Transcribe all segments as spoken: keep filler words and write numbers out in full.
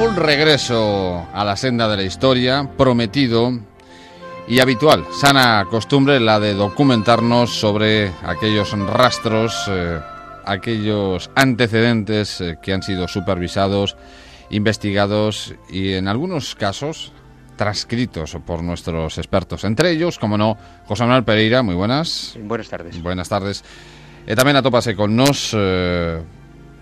Un regreso a la senda de la historia, prometido y habitual, sana costumbre la de documentarnos sobre aquellos rastros, eh, aquellos antecedentes eh, que han sido supervisados, investigados y en algunos casos transcritos por nuestros expertos. Entre ellos, como no, José Manuel Pereira, muy buenas. Buenas tardes. Buenas tardes. E tamén atópase con nos eh,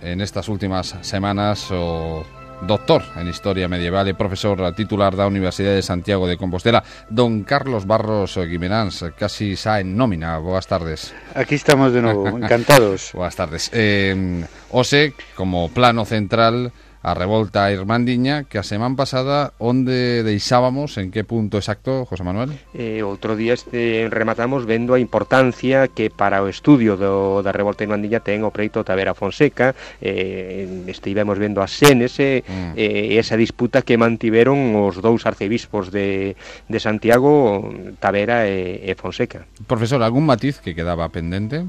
en estas últimas semanas o doctor en Historia Medieval e profesor titular da Universidade de Santiago de Compostela, don Carlos Barros Guimeráns, casi xa en nómina. Boas tardes. Aquí estamos de novo, encantados. Boas tardes. Eh, Ose, como plano central, a revolta irmandiña, que a semana pasada onde deixábamos, en que punto exacto, José Manuel? Eh, outro día este, rematamos vendo a importancia que para o estudio do, da revolta irmandiña ten o preito Tavera Fonseca, eh, estivemos vendo as senes e mm. eh, esa disputa que mantiveron os dous arcebispos de, de Santiago, Tavera e, e Fonseca. Profesor, algún matiz que quedaba pendente?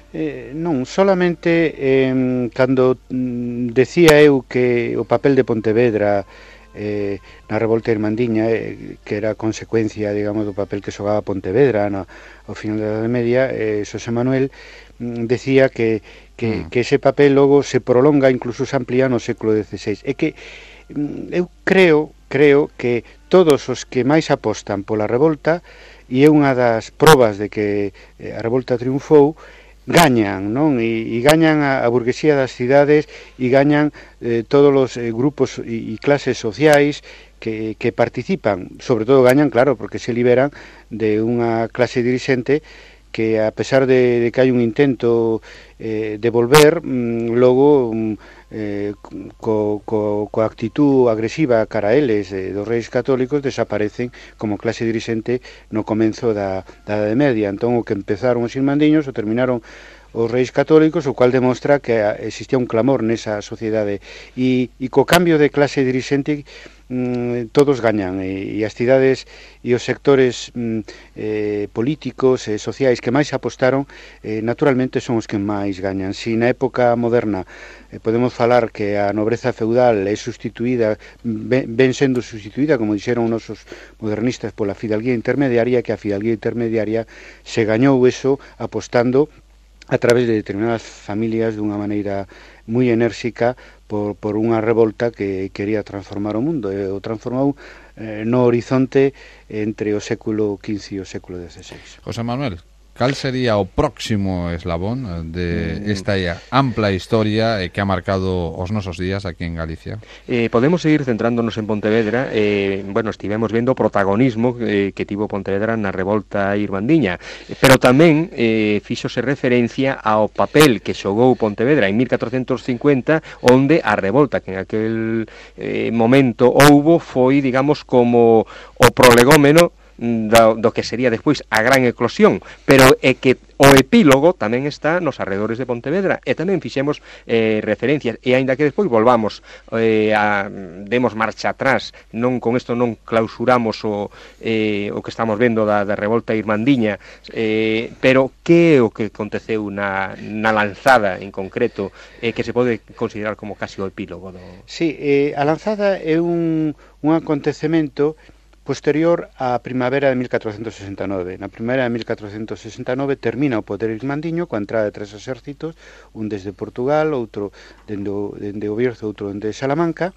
Eh, non, solamente eh, cando mm, decía eu que o papel de Pontevedra eh, na revolta irmandiña eh, que era consecuencia, digamos, do papel que xogaba Pontevedra no, ao final da Edade Media, eh, Xosé Manuel mm, decía que, que, mm. que ese papel logo se prolonga, incluso se amplía no século dieciséis. É que mm, eu creo, creo que todos os que máis apostan pola revolta, e é unha das probas de que eh, a revolta triunfou, gañan, non? E, e gañan a, a burguesía das cidades e gañan eh, todos os eh, grupos e, e clases sociais que, que participan. Sobre todo gañan, claro, porque se liberan de unha clase dirixente que, a pesar de, de que hai un intento eh, de volver, mm, logo eh, co, co, co actitud agresiva cara a eles eh, dos reis católicos desaparecen como clase dirixente no comenzo da, da Edade Media. Entón, o que empezaron os irmandiños o terminaron os reis católicos, o cual demostra que existía un clamor nesa sociedade e, e co cambio de clase dirixente mm, todos gañan e, e as cidades e os sectores mm, eh, políticos e eh, sociais que máis apostaron eh, naturalmente son os que máis gañan. Si na época moderna eh, podemos falar que a nobreza feudal é sustituída, ben, ben sendo sustituída, como dixeron nosos modernistas, pola fidalguía intermediaria, que a fidalguía intermediaria se gañou eso apostando a través de determinadas familias dunha maneira moi enérxica por, por unha revolta que quería transformar o mundo, e o transformou eh, no horizonte entre o século quince e o século dieciséis. José Manuel, cal sería o próximo eslabón de esta ampla historia que ha marcado os nosos días aquí en Galicia? Eh, podemos seguir centrándonos en Pontevedra. Eh, bueno, estivemos vendo o protagonismo eh, que tivo Pontevedra na revolta irmandiña, pero tamén eh, fíxose referencia ao papel que xogou Pontevedra en mil catrocentos cincuenta, onde a revolta que en aquel eh, momento houbo foi, digamos, como o prolegómeno Do, do que sería despois a gran eclosión, pero é que o epílogo tamén está nos arredores de Pontevedra, e tamén fixemos eh, referencias, e aínda que despois volvamos eh, a, demos marcha atrás, non con isto non clausuramos o, eh, o que estamos vendo da, da revolta irmandiña, eh, pero que é o que aconteceu na, na lanzada en concreto, eh, que se pode considerar como casi o epílogo do... Sí, eh, a lanzada é un, un acontecemento posterior á primavera de mil catrocentos sesenta e nove. Na primavera de mil catrocentos sesenta e nove termina o poder irmandiño coa entrada de tres exércitos, un desde Portugal, outro dende o, dende o Bierzo, outro dende Salamanca,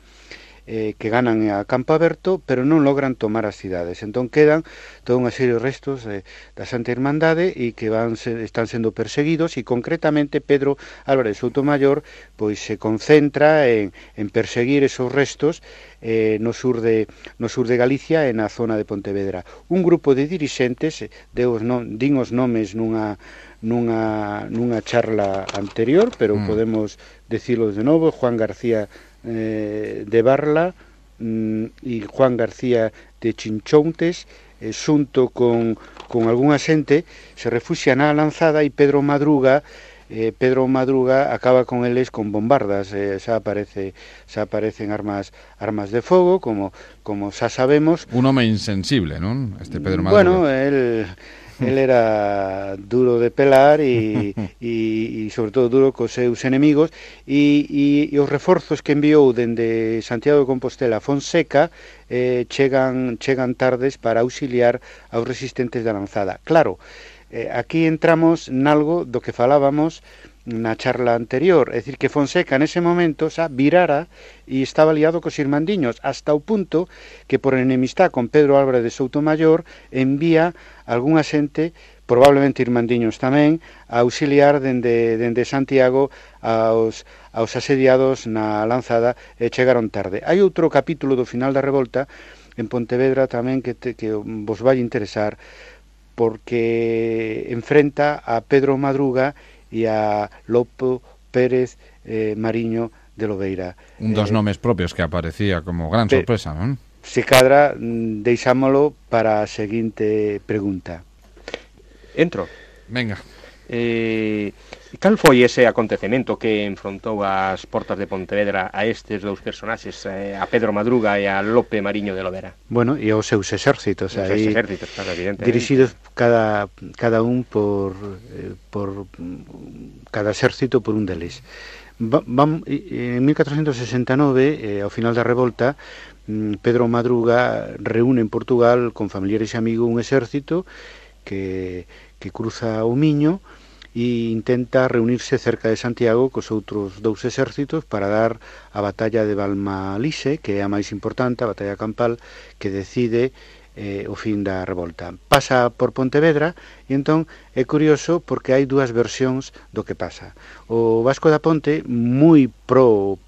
eh, que ganan a campo aberto, pero non logran tomar as cidades. Entón quedan toda unha serie de restos eh, da Santa Irmandade e que van se, están sendo perseguidos, e concretamente Pedro Álvarez Soutomayor pois se concentra en, en perseguir esos restos eh, no sur de no sur de Galicia e na zona de Pontevedra. Un grupo de dirixentes, deos non, din os nomes nunha nunha nunha charla anterior, pero mm. podemos dicilos de novo: Juan García eh, de Barla mm, e Juan García de Chinchoutes, eh, xunto con, con algunha xente, se refuxian na lanzada, e Pedro Madruga eh, Pedro Madruga acaba con eles con bombardas, eh, xa aparece xa aparecen armas armas de fogo, como como xa sabemos. Un home insensible, non? Este Pedro Madruga. Bueno, el el era duro de pelar e, e, e sobre todo duro cos seus enemigos e, e, e os reforzos que enviou dende Santiago de Compostela a Fonseca eh, chegan, chegan tardes para auxiliar aos resistentes da lanzada. Claro, eh, aquí entramos nalgo do que falábamos na charla anterior, é dicir, que Fonseca nese momento xa virara e estaba liado cos irmandiños, hasta o punto que por enemistad con Pedro Álvarez de Soutomayor envía algunha xente, probablemente irmandiños tamén, a auxiliar dende, dende Santiago aos, aos asediados na lanzada e chegaron tarde. Hai outro capítulo do final da revolta en Pontevedra tamén que, te, que vos vai interesar, porque enfrenta a Pedro Madruga e a Lopo Pérez eh, Mariño de Lobeira. Un dos eh, nomes propios que aparecía como gran sorpresa, non? Se cadra, deixámolo para a seguinte pregunta. Entro. Venga. Eh, cal foi ese acontecemento que enfrontou as portas de Pontevedra a estes dous personaxes, eh, a Pedro Madruga e a Lope Mariño de Lobeira? Bueno, e os seus exércitos, os aí, exércitos, claro, evidentemente, dirixidos cada, cada un por, eh, por cada exército por un deles. Va, va, en mil catrocentos sesenta e nove, eh, ao final da revolta, Pedro Madruga reúne en Portugal con familiares e amigos un exército que, que cruza o Miño e intenta reunirse cerca de Santiago cos outros dous exércitos para dar a batalla de Valmalise, que é a máis importante, a batalla campal, que decide eh, o fin da revolta. Pasa por Pontevedra e entón é curioso porque hai dúas versións do que pasa. O Vasco da Ponte, moi pro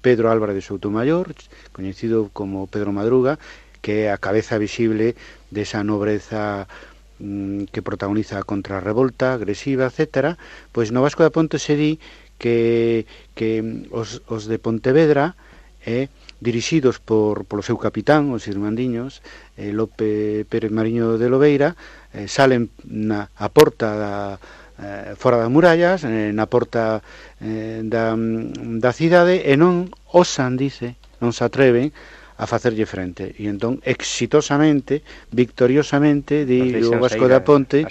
Pedro Álvarez de Soutomayor, coñecido como Pedro Madruga, que é a cabeza visible desa nobreza que protagoniza contra a revolta agresiva, etcétera, pois no Vasco da Ponte se di que, que os, os de Pontevedra, eh, dirixidos por, polo seu capitán, os irmandiños, eh, Lope Pérez Mariño de Lobeira, eh, salen na a porta da, eh, fora das murallas, eh, na porta eh, da, da cidade, e non osan, dice, non se atreven a facerlle frente, e entón exitosamente, victoriosamente, di o Vasco da Ponte,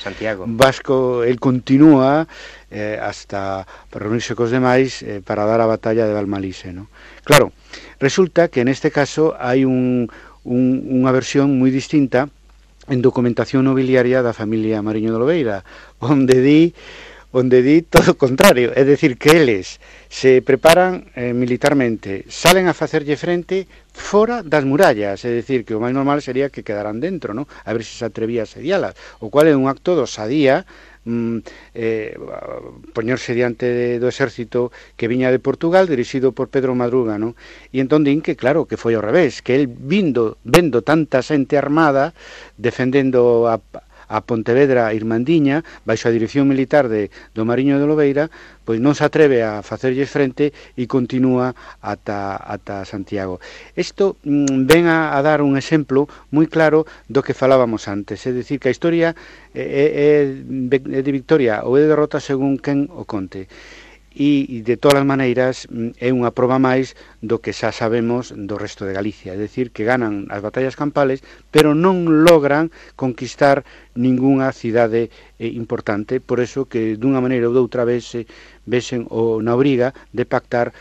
Vasco, el continúa eh, hasta reunirse cos demais eh, para dar a batalla de Valmalise, ¿no? Claro, resulta que neste caso hai un, un, unha versión moi distinta en documentación nobiliaria da familia Mariño de Lobeira, onde di onde di todo o contrario, é dicir, que eles se preparan eh, militarmente, salen a facerlle frente fora das murallas, é dicir, que o máis normal sería que quedaran dentro, ¿no? A ver se se atrevía a asedialas, o cual é un acto de osadía, mm, eh, poñerse diante de, do exército que viña de Portugal, dirixido por Pedro Madruga, ¿no? E entón din que, claro, que foi ao revés, que el vindo, vendo tanta xente armada, defendendo a a Pontevedra Irmandiña, baixo a dirección militar de do Mariño de Lobeira, pois non se atreve a facerlles frente e continúa ata, ata Santiago. Isto mm, ven a, a dar un exemplo moi claro do que falábamos antes, é dicir, que a historia é, é, é de victoria ou é de derrota según quen o conte. E, de todas as maneiras, é unha proba máis do que xa sabemos do resto de Galicia, é dicir, que ganan as batallas campales, pero non logran conquistar ningunha cidade eh, importante, por eso que dunha maneira ou doutra vez se vesen o na obriga de pactar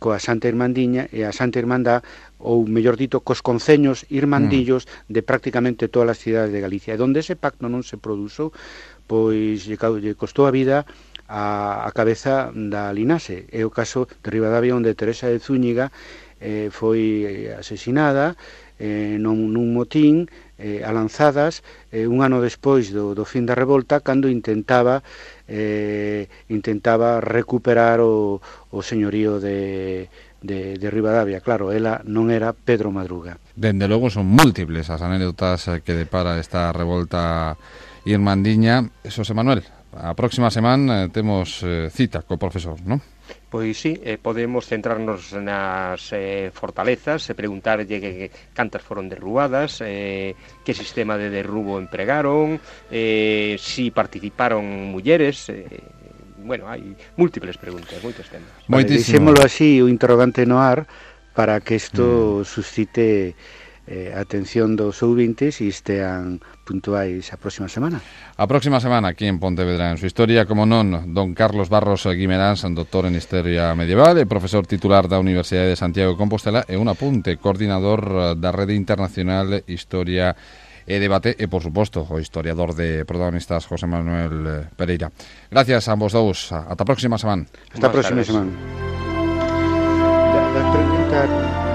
coa Santa Irmandiña e a Santa Irmandad, ou mellor dito, cos conceños irmandillos mm. de prácticamente todas as cidades de Galicia. E donde ese pacto non se produzo, pois lle costou a vida a, a cabeza da Linaxe. É o caso de Ribadavia, onde Teresa de Zúñiga eh, foi asesinada eh, nun, nun motín eh, a lanzadas eh, un ano despois do, do fin da revolta, cando intentaba eh, intentaba recuperar o, o señorío de, de, de Ribadavia. Claro, ela non era Pedro Madruga. Dende logo son múltiples as anécdotas que depara esta revolta irmandiña. Xosé Manuel, a próxima semana eh, temos eh, cita co profesor, non? Pois sí, eh, podemos centrarnos nas eh, fortalezas e preguntarlle que, que cantas foron derrubadas, eh, que sistema de derrubo empregaron, eh, si participaron mulleres, eh, bueno, hai múltiples preguntas, moitos temas. Vale, deixémolo así, o interrogante no ar, para que isto mm. suscite eh, a atención dos ouvintes e estean puntuais a próxima semana. A próxima semana aquí en Pontevedra en su historia, como non, don Carlos Barros Guimeráns, doctor en Historia Medieval e profesor titular da Universidade de Santiago de Compostela e un apunte, coordinador da Rede Internacional Historia e Debate e, por suposto, o historiador de protagonistas José Manuel Pereira. Gracias a ambos dous. Ata a próxima semana. Hasta a próxima semana. La, la pregunta...